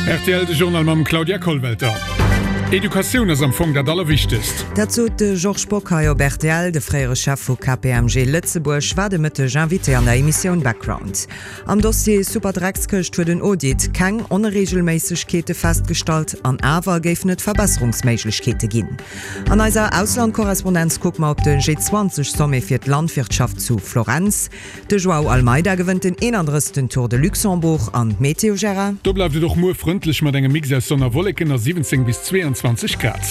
Rtl, de Journal mam Claudia Kollwelter. Educatioun ass am Fong dat Allerwichtegst. Dat sot de Georges Bock hei op rtl. De fréiere Chef vu KPMG Lëtzebuerg war de Mëtteg Invité an der Emissioun Background. Am Dossier Superdreckskëscht huet en Audit keng Onreegelméissegkeete festgestallt, an awer géifen et Verbesserungsméiglechkeete ginn. An eiser Auslandkorrespondenz kucke mer op de G20-Sommet fir d'Landwirtschaft zu Florenz. De Joao Almeida gewënnt den 31. Tour de Luxembourg an d'Meteo, Gérard? Do bleift et och muer frëndlech mat engem Mix aus Sonn a Wolleken a 17 bis 22 Grad.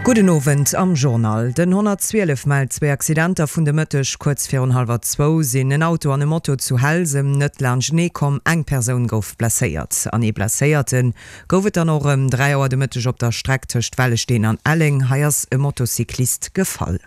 Gudden Owend am Journal. Den 112 mellt zwéi Accidenter vun de Mëtteg. Kuerz virun hallwer zwou sinn en Auto an e Moto zu Helsem net laanschtenee komm. Eng Persoun gouf blesséiert an ee Blesséierte gouf et dann och ëm 3 Auer de Mëtteg op der Streck tëscht Wellesteen an Elleng. Hei ass e Motocyclist gefall.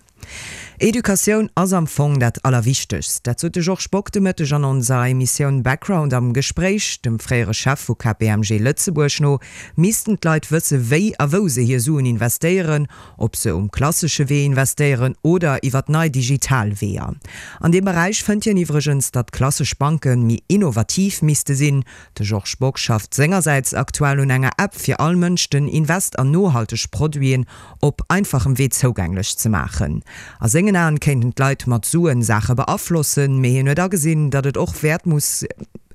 Educatioun ass am Fong dat Allerwichtegst. Dat sot de Georges Bock de Mëtteg an onser Emissioun Background am Gespréich. Dem fréiere Chef vu KPMG Lëtzebuerg no missten d'Leit wësse wéi a wou se hir Suen investéieren, ob se um klassesche Wee investéieren oder iwwer nei digital Weeër. An deem Beräich fënnt hien iwwregens, datt klassesch Banke méi innovativ misste sinn. De Georges Bock schafft sengersäits aktuell un enger App fir all Mënsch den Invest an nohalteg Produiten op einfachem Wee zougänglech ze maachen. A sengen Aen kéinten d'Leit mat Suen Saache beaflossen, mee hien huet agesinn, datt et och wäert muss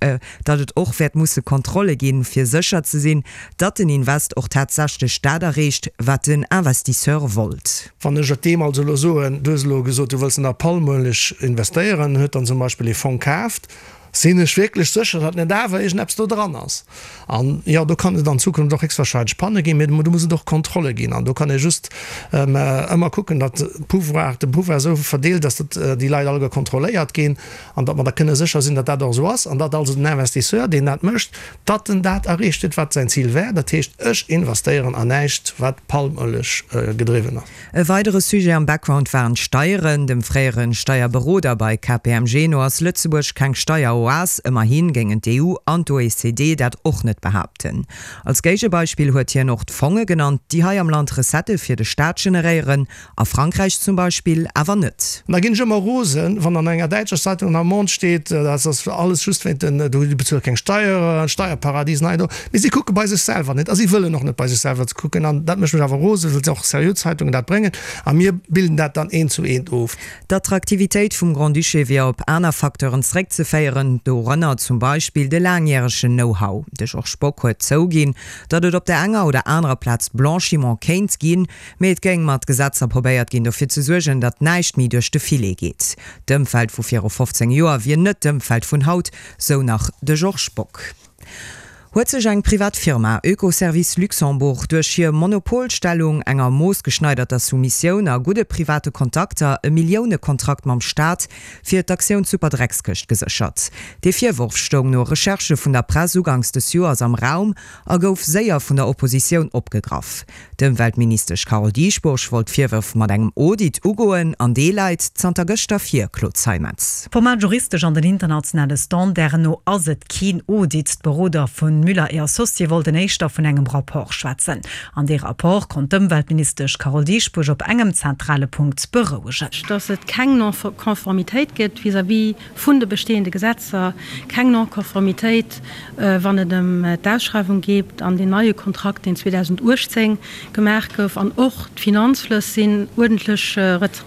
datt et och wäert musse Kontrolle ginn, fir sécher ze sinn, datt den Invest och tatsächlech dat erreecht, wat den Investisseur wollt. Wann ech et deem also elo soen, du hues elo gesot, du wëlls an der Palmueleg investéieren, huet dann zum Beispill ee Fong kaaft, Sinn ech wierklech sécher, datt net awer iergendeppes do dran ass? An jo, do kann et an Zukunft och héchstwahrscheinlech Panne ginn, mee do muss et och Kontrolle ginn. An do kann ee just ëmmer kucken, datt Pouvoir, de Pouvoir esou verdeelt ass, datt déi Leit alleguer kontrolléiert ginn an datt mer da kënne sécher sinn, datt dat och esou ass an datt also den Investisseur, deen dat mécht, datt en dat erreecht huet, wat säin Zil war. Dat heescht, ech investéieren an näischt, wat Palmëlech gedriwwen ass. E weidere Sujet am Background waren d'Steieren. Dem fréiere Steierberoder bei KPMG no ass Lëtzebuerg keng Steieroas. Ëmmerhi géingen d'EU an d'OECD dat och net behaapten. Als Géigebeispill huet hien och d'Fonge genannt, déi hei am Land Recettë fir de Staat generéieren, a Frankräich zum Beispill awer net. An da ginn ech ëmmer rosen, wann an enger däitscher Zeitung an am Monde steet, dat ass alles just wéint den, do bezuele keng Steieren, Steierparadisen hei an do. Mee si kucke bei sech selwer net a si wëllen och net bei sech selwer kucken. An dat mécht mech awer rosen, well och seriö Zeitungen dat bréngen a mir bilden dat dann eent zu eent of. D'Attraktivitéit vum Grand-Duché wier op aner Facteuren zeréckzeféieren, dorënner zum Beispill de laangjäregen Know-how. De Georges Bock huet zouginn, datt et op der enger oder anerer Plaz Blanchiment kéint ginn, mee et géing mat Gesetzer probéiert ginn, dofir ze suergen, datt näischt méi duerch de Filet geet. D'Ëmfeld vu viru 15 Joer wier net d'Ëmfeld vun haut, sou nach de Georges Bock. Huet sech eng privat Firma, Oekoservice Luxembourg, duerch hir Monopolstellung, enger moossgeschneiderter Soumissioun a gudde private Kontakter e Milliounekontrakt mam Staat fir d'Aktioun Superdreckskëscht geséchert? Dee Virworf stoung no Recherchë vun der Press uganks des Joers am Raum a gouf séier vun der Oppositioun opgegraff. D'Ëmweltministesch Carole Dieschbourg wollt d'Virwërf mat engem Audit ugoen an dee läit zanter gëschter vir, Claude Zeimetz. Formal juristesch an den internationale Standarden no ass et keen Audit. D'Beroder vu Müller et Associés wollten éischter vun engem Rapport schwätzen. An dee Rapport konnt d'Ëmweltministesch Carole Dieschbourg op engem zentrale Punkt berouegen. Datt et keng Non-Conformitéit gëtt vis-à-vis vun de bestehende Gesetzer, keng Non-Conformitéit, wann et ëm d'Ausschreiwung geet an deen neie Kontrakt, deen 2018 gemaach gouf. An och d'Finanzflëss sinn uerdentlech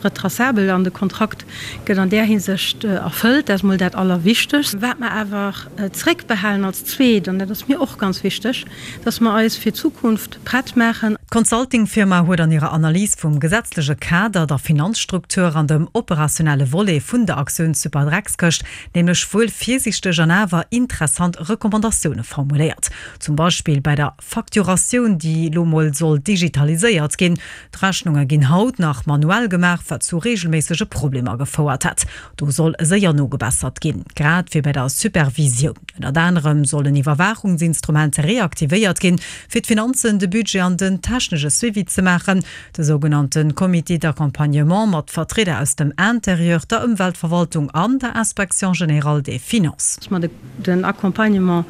retracabel an de Kontrakt gëtt an där Hinsicht erfëllt. Dat ass emol dat Allerwichtegst. Wat mer awer zréckbehalen als Zweet, an dat ass mir och ganz wichteg, dass mer eis fir d'Zukunft prett maachen. D'Consulting-Firma huet an hirer Analys vum gesetzleche Kader, der Finanzstruktur an dem operationelle Volet vun der Aktioun Superdreckskëscht nämlech wuel virsiichteg an awer interessant Recommandatioune formuléiert. Zum Beispill bei der Facturatioun, déi elo mol soll digitaliséiert ginn. D'Rechnunge ginn haut nach manuell gemaach, wat zu reegelméissege Problemer gefouert hätt. Do soll séier nogebessert ginn, grad wéi bei der Supervisioun. Ënnert anerem soll en Iwwerwaachungsinstrument reaktivéiert ginn, fir d'Finanzen, de Budget an den technesche Suivi ze maachen. De sougenannte Comité d'accompagnement mat Vertrieder aus dem Interieur, der Ëmweltverwaltung an der Inspection générale des finances. Dass mer den Accompagnement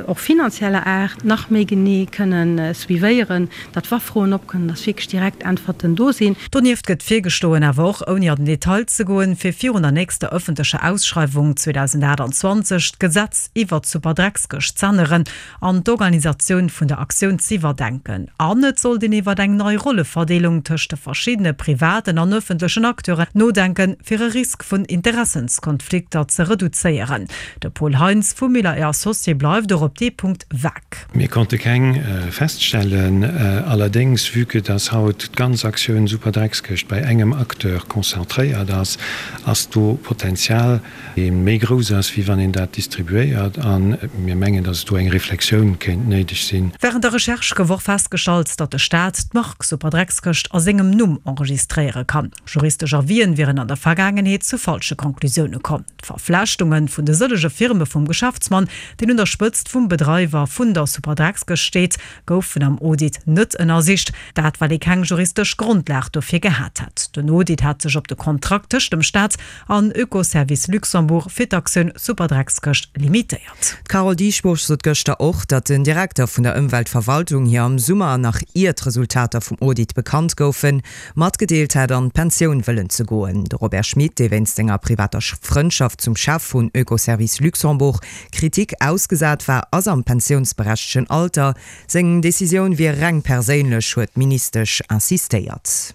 och finanzieller Aart nach méi genee kënnen suivéieren, datt wa Froen opkommen, datt wierklech direkt Äntwerten do sinn. Donieft gëtt virgeschloen, awer och ouni an den Detail ze goen, fir virun der nächster ëffentlecher Ausschreiwung 2028 d'Gesetz iwwert d'Superdreckskëscht z'änneren. änneren an d'Organisatioun vun der Aktioun z'iwwerdenken. An et sollt een iwwer eng nei Rolleverdeelung tëscht de verschiddene privaten an ëffentlechen Acteuren nodenken, fir e Risk vun Interessenskonflikter ze reduzéieren. De Paul Heintz vu Miller et Associés bleift och op dee Punkt vag. Mir konnte keng feststellen. Allerdéngs, vue que dass haut d'ganz Aktioun Superdreckskëscht bei engem Acteur konzentréiert ass, ass do Potenzial, dee méi grouss ass, wéi wann een dat distribuéiert. A mir mengen, dass et do eng Reflexioun kéint néideg sinn. Wärend der Recherche gouf och festgestallt, datt de Staat d'Mark Superdreckskëscht a sengem Numm enregistréiere kann. Juristesch Avisen wieren an der Vergaangenheet zu falsche Conclusioune komm. D'Verflechtunge vun de sëllege Firme vum Geschäftsmann, deen un der Spëtzt vum Bedreiwer vun der Superdreckskëscht steet, goufen am Audit net ënnersicht. Dat well ee keng juristesch Grondlag dofir gehat hätt. Den Audit hat sech op de Kontrakt tëscht dem Staat an Oekoservice Luxembourg fir d'Aktioun Superdreckskëscht limitéiert. D'Carole Dieschbourg sot gëschter och, datt den Direkter vun der Ëmweltverwaltung hir am Summer, nach ier d'Resultater vum Audit bekannt goufen, matgedeelt hätt, an d'Pensioun wëllen ze goen. De Robert Schmit, dee wéinst senger privater Frëndschaft zum Chef vun Oekoservice Luxembourg Kritik ausgesat war, ass am pensiounsberechtegen Alter. Seng Decisioun wier reng perséinlech, huet d'Ministesch insistéiert.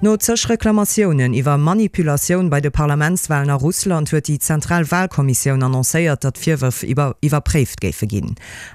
No zeg Reklamatiounen iwwer Manipulatioun bei de Parlamentswalen a Russland huet déi zentral Walkommissioun annoncéiert, datt d'Virwërf iwwerpréift géife ginn.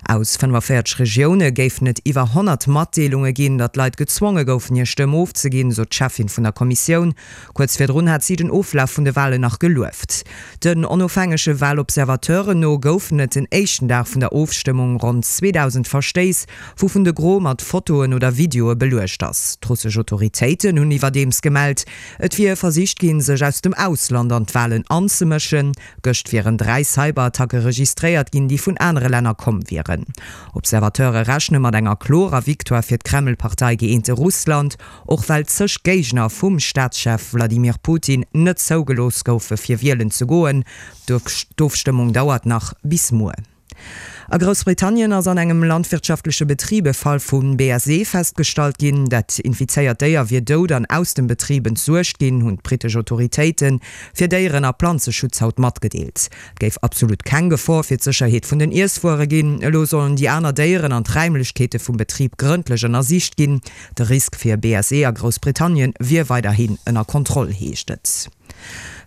Aus 45 Regioune géifen et iwwer 100 Matdeelunge ginn, datt Leit gezwonge goufen, hir Stëmm ofzeginn, sot d'Cheffin vun der Kommissioun. Kuerz virdrun hat si den Oflaf vun de Walen nach gelueft. Den onofhängege Walobservateuren no goufen et den éischten Dag vun der Ofstëmmung ronn 2.000 Verstéiss, wouvun de Gros mat Fotoen oder Videoe beluecht ass. D'russesch Autoritéiten hunn iwwerdeems gemellt, et wier versicht ginn, sech aus dem Ausland an d'Walen anzemëschen. Gëscht wieren 3 Cyberattacke registréiert ginn, déi vun anere Länner komm wieren. Observateure rechne mat enger klorer Victoire fir d'Kreml-Partei Gëeente Russland. Och well zeg Géigner vum Staatschef Wladimir Putin net zougelooss goufe fir wielen ze goen. D'Ofstëmmung dauert nach bis muer. A Groussbritannien ass an engem landwirtschaftleche Betrib e Fall vu BSE festgestallt ginn. Dat infizéiert Déier wier dout an aus dem Betrib entsuergt ginn, hunn d'brittesch Autoritéite fir Déieren a Planzeschutz haut matgedeelt. Et géif absolut keng Gefor fir d'Sécherheet vun den Iesswuere ginn. Elo sollen déi aner Déieren an d'Räimlechkeete vum Betrib grëndlech ënnersicht ginn. De Risk fir BSE a Groussbritannien wier weiderhin ënner Kontroll, heescht et.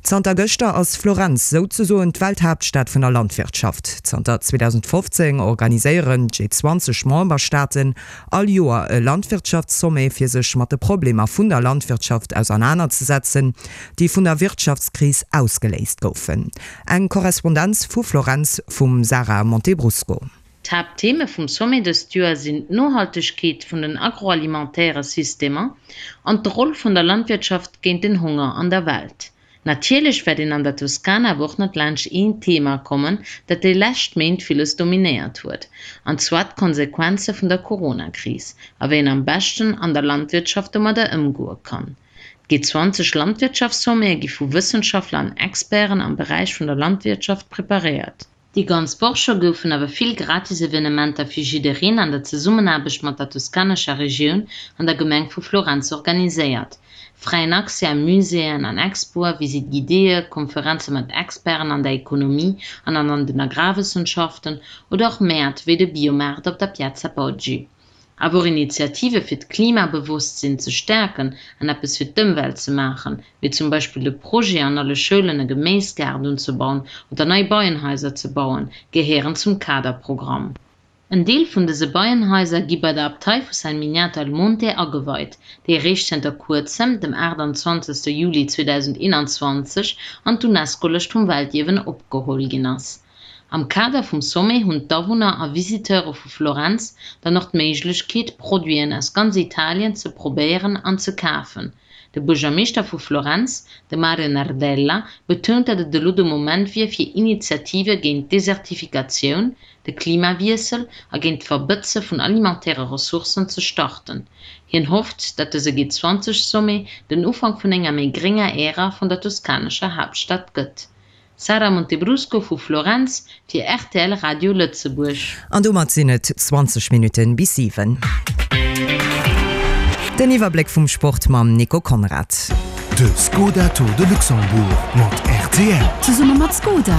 Zanter gëschter ass Florenz souzesoen d'Welthaaptstad vun der Landwirtschaft. Zanter 2015 organiséieren d'G20 Memberstaaten all Joer e Landwirtschaftssommet, fir sech mat de Problemer vun der Landwirtschaft ausernanerzesetzen, déi vun der Wirtschaftskris ausgeléist goufen. Eng Korrespondenz vu Florenz vum Sarah Montebrusco. D'Haapttheme vum Sommet dëst Joer sinn d'Nohaltegkeet vun den agroalimentaire Systemer an d'Roll vun der Landwirtschaft géint den Honger an der Welt. Natierlech wäert een an der Toskana awer och net laanscht een Thema kommen, dat déi lescht Méint villes dominéiert huet, an zwar d'Konsequenze vun der Corona-Kris a wéi een am beschten an der Landwirtschaft domadder ëmgoe kann. D'G20 Landwirtschaftsommete gi vu Wëssenschaftler an Experten am Beräich vun der Landwirtschaft preparéiert. Déi ganz Woch scho goufen awer vill gratis Evenementer fir jiddereen an der Zesummenaarbecht mat der toskanescher Regioun an der Gemeng vu Florenz organiséiert. Fräien Accès a Muséeën an Expoe, Visite guidéeë, Konferenze mat Experten an der Ekonomie an an den Agrarwëssenschaften oder och Mäert wéi de Biomaart op der Piazza Poggi. Awer och Initiative fir d'Klimabewosstsinn ze stäerken an eppes fir d'Ëmwelt ze maachen, wéi zum Beispill de Projet an alle Schoulen e Geméisgaart unzebauen oder nei Beienhaiser ze bauen, gehéieren zum Kaderprogramm. En Deel vun dëse Beienhaiser gi bei der Abtei vu San Miniato al Monte ageweit, déi eréischt zënter kuerzem, dem 28. Juli 2021, an d'UNESCO-Lëscht vum Weltierwen opgeholl ginn ass. Am Kader vum Sommet hunn d'Awunner a Visiteure vu Florenz dann och d'Méiglechkeet, Produiten aus ganz Italien ze probéieren an ze kafen. De Buergermeeschter vu Florenz, de Mario Nardella, betount, datt et elo de Moment wier fir Initiative géint d'Desertifikatioun, de Klimawiessel a géint d'Verbëtze vun alimentaire Ressourcen ze starten. Hien hofft, datt dëse G20-Sommet den Ufank vun enger méi grénger Ära vun der toskanescher Haaptstad gëtt. Sara Montebrusco vu Florenz fir rtl Radio Lëtzebuerg. An domat sinn et 20 Minutten bis 7. Den Iwwerbléck vum Sport mam Nico Conrad. De Skoda Tour de Luxembourg mat rtl. Zesumme mat Skoda,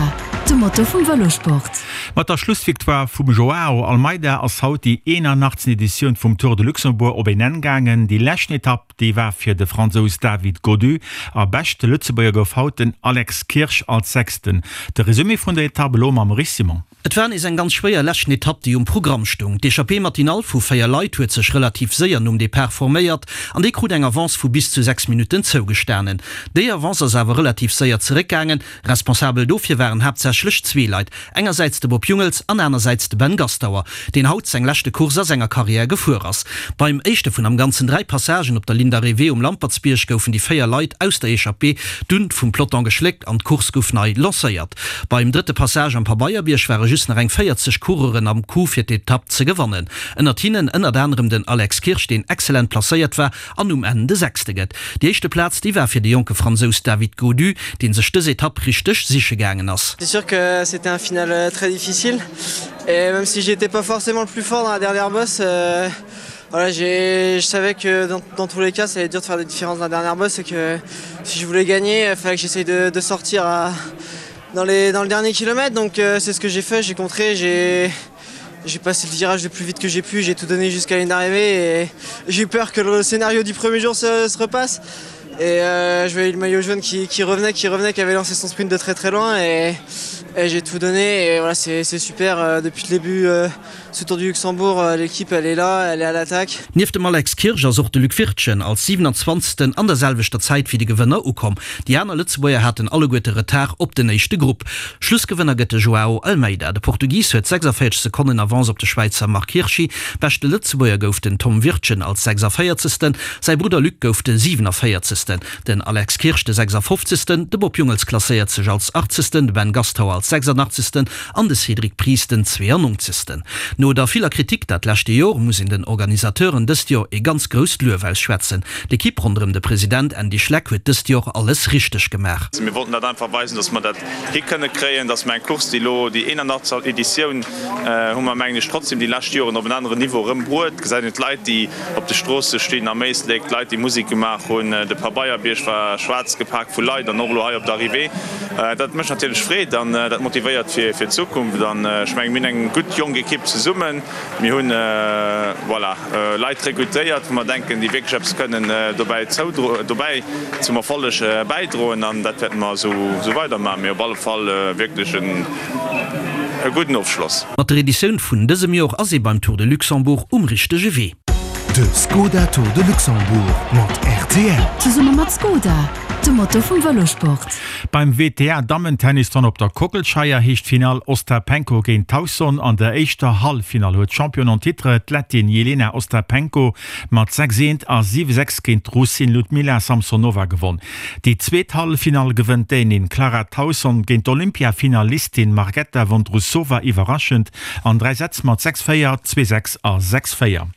dem Motor vum Vëlosport. Mat der Schlussvictoire vum Joao Almeida ass haut déi 81. Editioun vum Tour de Luxembourg op een Enn gaangen. Déi leschten Etapp, déi war fir de Fransous David Gaudu a beschte Lëtzebuerger gouf haut den Alex Kirsch als Sechsten. De Resumé vun der Etapp elo mam Rich Simon. Et war nees eng ganz schwéier leschten Etapp, déi um Programm stoung. D'Echappée matinale vu 4 Leit huet sech relativ séier nom Depart forméiert an déi krut eng Avance vu bis zu 6 Minutten zougestanen. Déi Avance ass awer relativ séier zeréckgaangen. Responsabel dofir waren haaptsächlech zwee Leit, engersäits de Bob Jungels an anersäits de Ben Gastauer, deen haut seng leschte Course a senger Karriär gefuer ass. Beim éischte vun am Ganzen 3 Passagen op der Ligne d'arrivée um Lampertsbierg goufen déi 4 Leit aus der Echappée dunn vum Peloton geschléckt an d'Course gouf nei lancéiert. Beim drëtte Passage am Pabeierbierg ware just nach eng 40 Coureuren am Coup fir d'Etapp ze gewannen. Ënnert hinnen ënnert anerem den Alex Kirsch, deen excellent placéiert war an um Enn de Sechste gëtt. Déi éischte Plaz, déi war fir de jonke Fransous David Gaudu, dee sech dës Etapp richteg siche gaangen ass. C'est sûr que c'était un final très difficile et même si j'étais pas forcément le plus fort dans la dernière bosse, voilà, j'ai, je savais que dans, dans tous les cas ça allait être dur de faire des différences dans la dernière bosse et que si je voulais gagner, il fallait que j'essaye de, de sortir à, dans, les, dans le dernier kilomètre. Donc euh, c'est ce que j'ai fait, j'ai contré, j'ai j'ai passé le virage le plus vite que j'ai pu, j'ai tout donné jusqu'à une arrivée et j'ai eu peur que le scénario du premier jour se, se repasse. Et euh, je voyais le maillot jaune qui, qui revenait, qui revenait, qui avait lancé son sprint de très très loin et, et j'ai tout donné et voilà c'est super euh, depuis le début euh, ce Tour du Luxembourg euh, l'équipe elle est là, elle est à l'attaque. Nieft dem Alex Kirsch ass och de Luc Wirtgen als 27. An der selwechter Zäit wéi de Gewënner ukomm. Déi aner Lëtzebuerger haten alleguerte Retard op den éischte Grupp. Schlussgewënner gëtt de Joao Almeida. De Portugis huet 46 Sekonnen Avance op de Schwäizer Marc Hirschi. Beschte Lëtzebuerger gouf den Tom Wirtgen als 46. Säi Brudder Luc gouf de 47. Den Alex Kirsch de 56. De Bob Jungels klasséiert sech als 80. De Ben Gastauer als 86. An de Cédric Pries den 92. No der viller Kritik dat leschte Jor muss een den Organisateuren dëst Jor ee ganz grousst Luef ausschwätzen. D'Ekipp ronderëm de President Andy Schleck huet dëst Jor alles richteg gemaach. Mir wollten dat einfach weisen, dass mer dat hi kënne kréien, dass mer eng Course, déi elo déi 81. Editioun hu mer, mengen ech, trotzdem déi lescht Joren op en aneren Niveau erëm bruet. Gesäit een d'Leit, déi op de Stroosse stinn am Éislek, d'Leit, déi Musek gemaach hunn, de Pabeierbierg war schwaarz gepak vu Leit an och elo hei op der Arrivée. Dat mécht natierlech Freed an dat motivéiert fir d'Zukunft. An ech mengen, mir hunn eng gutt jonk Ekipp zesummen. Mir hunn, voilà, Leit rekrutéiert, wou mer denken, déi wierklech eppes kënnen dobäi dobäi zum Erfolleg bäidroen. An dat wäerte mer esou weidermaachen. Mee op alle Fall wierklech e gudden Ofschloss. Mat der Editioun vun dësem Jor ass ee beim Tour de Luxembourg um richtege Wee. De Skoda Tour de Luxembourg mat rtl. Zesumme mat Skoda, dem Motor vum Vëlosport. Beim WTA Dammentennis dann op der Kockelscheier heescht d'Finall Ostapenko géint Tauson. An der éischter Halleffinall huet d'Championne en titre, d'Lettin Jelena Ostapenko mat 6 eent a 7 6 géint d'Russin Ludmila Samsonova gewonn. Déi zweet Halleffinall gewënnt d'Dänin Clara Tauson géint d'Olympiafinalistin Marketa Vondrousova iwwerraschend an 3 Sätz mat 6 4, 2 6 a 6 4.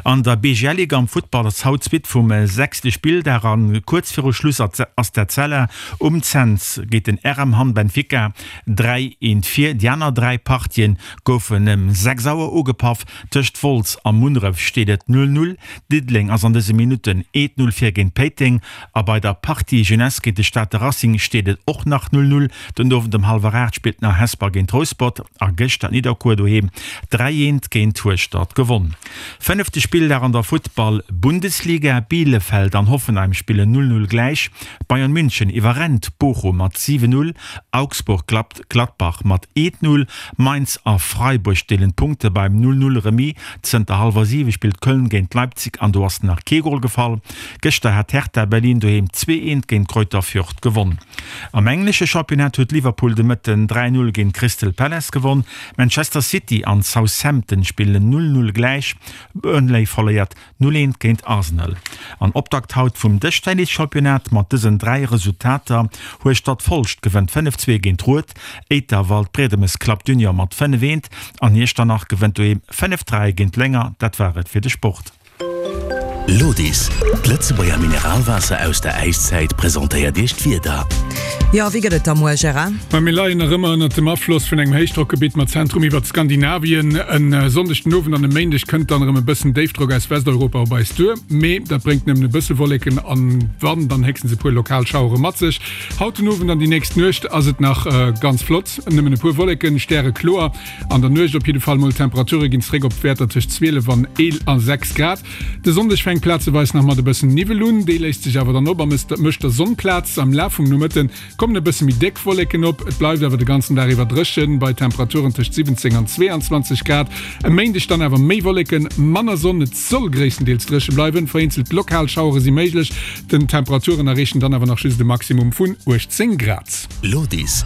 An der BGL-Ligue am Futtball ass haut d'Suite vum sechste Spilldag a kuerz viru Schluss ass d'Etzella um Cents géint den RM Hamm Benfica 3, 1 vir. Déi aner 3 Partien goufen ëm 6 Auer ugepaff. Tëscht Wolz a Munneref steet et 0, 0. Diddeleng ass an dëse Minutten 1, 0 vir géint Péiteng a bei der Partie Jeunesse géint de Stater Racing steet et och nach 0, 0. Den Owend ëm hallwer 8 spillt nach Hesper géint Rouspert a gëschter hat Nidderkuer doheem 3, 1 géint Hueschtert gewonn. Fënnefte Spilldag an der Futtball-Bundesliga, Bielefeld an Hoffenheim spillen 0, 0 gläich, Bayern München iwwerrennt Bochum mat 7, 0, Augsburg klappt Gladbach mat 1, 0, Mainz a Freiburg deelen d'Punkte beim 0, 0 Remis. Zënter hallwer 7 spillt Köln géint Leipzig an do ass nach kee Gol gefall. Gëschter hat Hertha Berlin doheem 2, 1 géint Greuther Fürth gewonn. Am englesche Championnat huet Liverpool de Mëtten 3, 0 géint Crystal Palace gewonn. Manchester City an Southampton spillen 0, 0 gläich. Burnley verléiert 0, 1 géint Arsenal. An Optakt haut vum Dëschtennis-Championnat mat dësen 3 Resultater, Hueschtert Folscht gewënnt 5, 2 géint Rued, Éiter Waldbriedemes klappt Junior mat 5, 1 an Iechternach gewënnt doheem 5, 3 géint Lénger. Dat war et fir de Sport. Lodis, d'Lëtzebuerger Mineralwaasser aus der Äiszäit, presentéiert Iech d'Wieder. Jo, wéi gëtt et da muer, Gérard? Ma mir leien nach ëmmer ënnert dem Afloss vun engem Héichdrockgebitt mat Zentrum iwwert Skandinavien. En Sonndeg den Owend an e Méindeg kënnt dann erëm e bëssen Déifdrock aus Westeuropa op eis duer, mee dat bréngt nëmmen e bësse Wolleken an wann, dann héchstens e puer lokal Schauere mat sech. Haut den Owend an déi nächst Nuecht ass et nach ganz flott, nëmmen e puer Wolleken, stärekloer an der Nuecht op jidde Fall mol. D'Temperature ginn zréck op Wäerter tëscht 12 an 6 Grad. De Sonndeg fänkt plazeweis nach mat e bëssen Niwwel un, dee léist sech awer dann op a mécht der Sonn Plaz. Am Laf vum Nomëtte kommen e bësse méi déck Wolleken op, et bleift awer de ganzen Dag iwwer dréchen, bei Temperaturen tëscht 17 an 22 Grad. E Méindeg dann awer méi Wolleken, manner Sonn, et soll gréisstendeels dréche bleiwen, vereenzelt lokal Schauere si méiglech. Den Temperaturen erreechen dann awer nach just e Maximum vun 18 Grad. Lodis.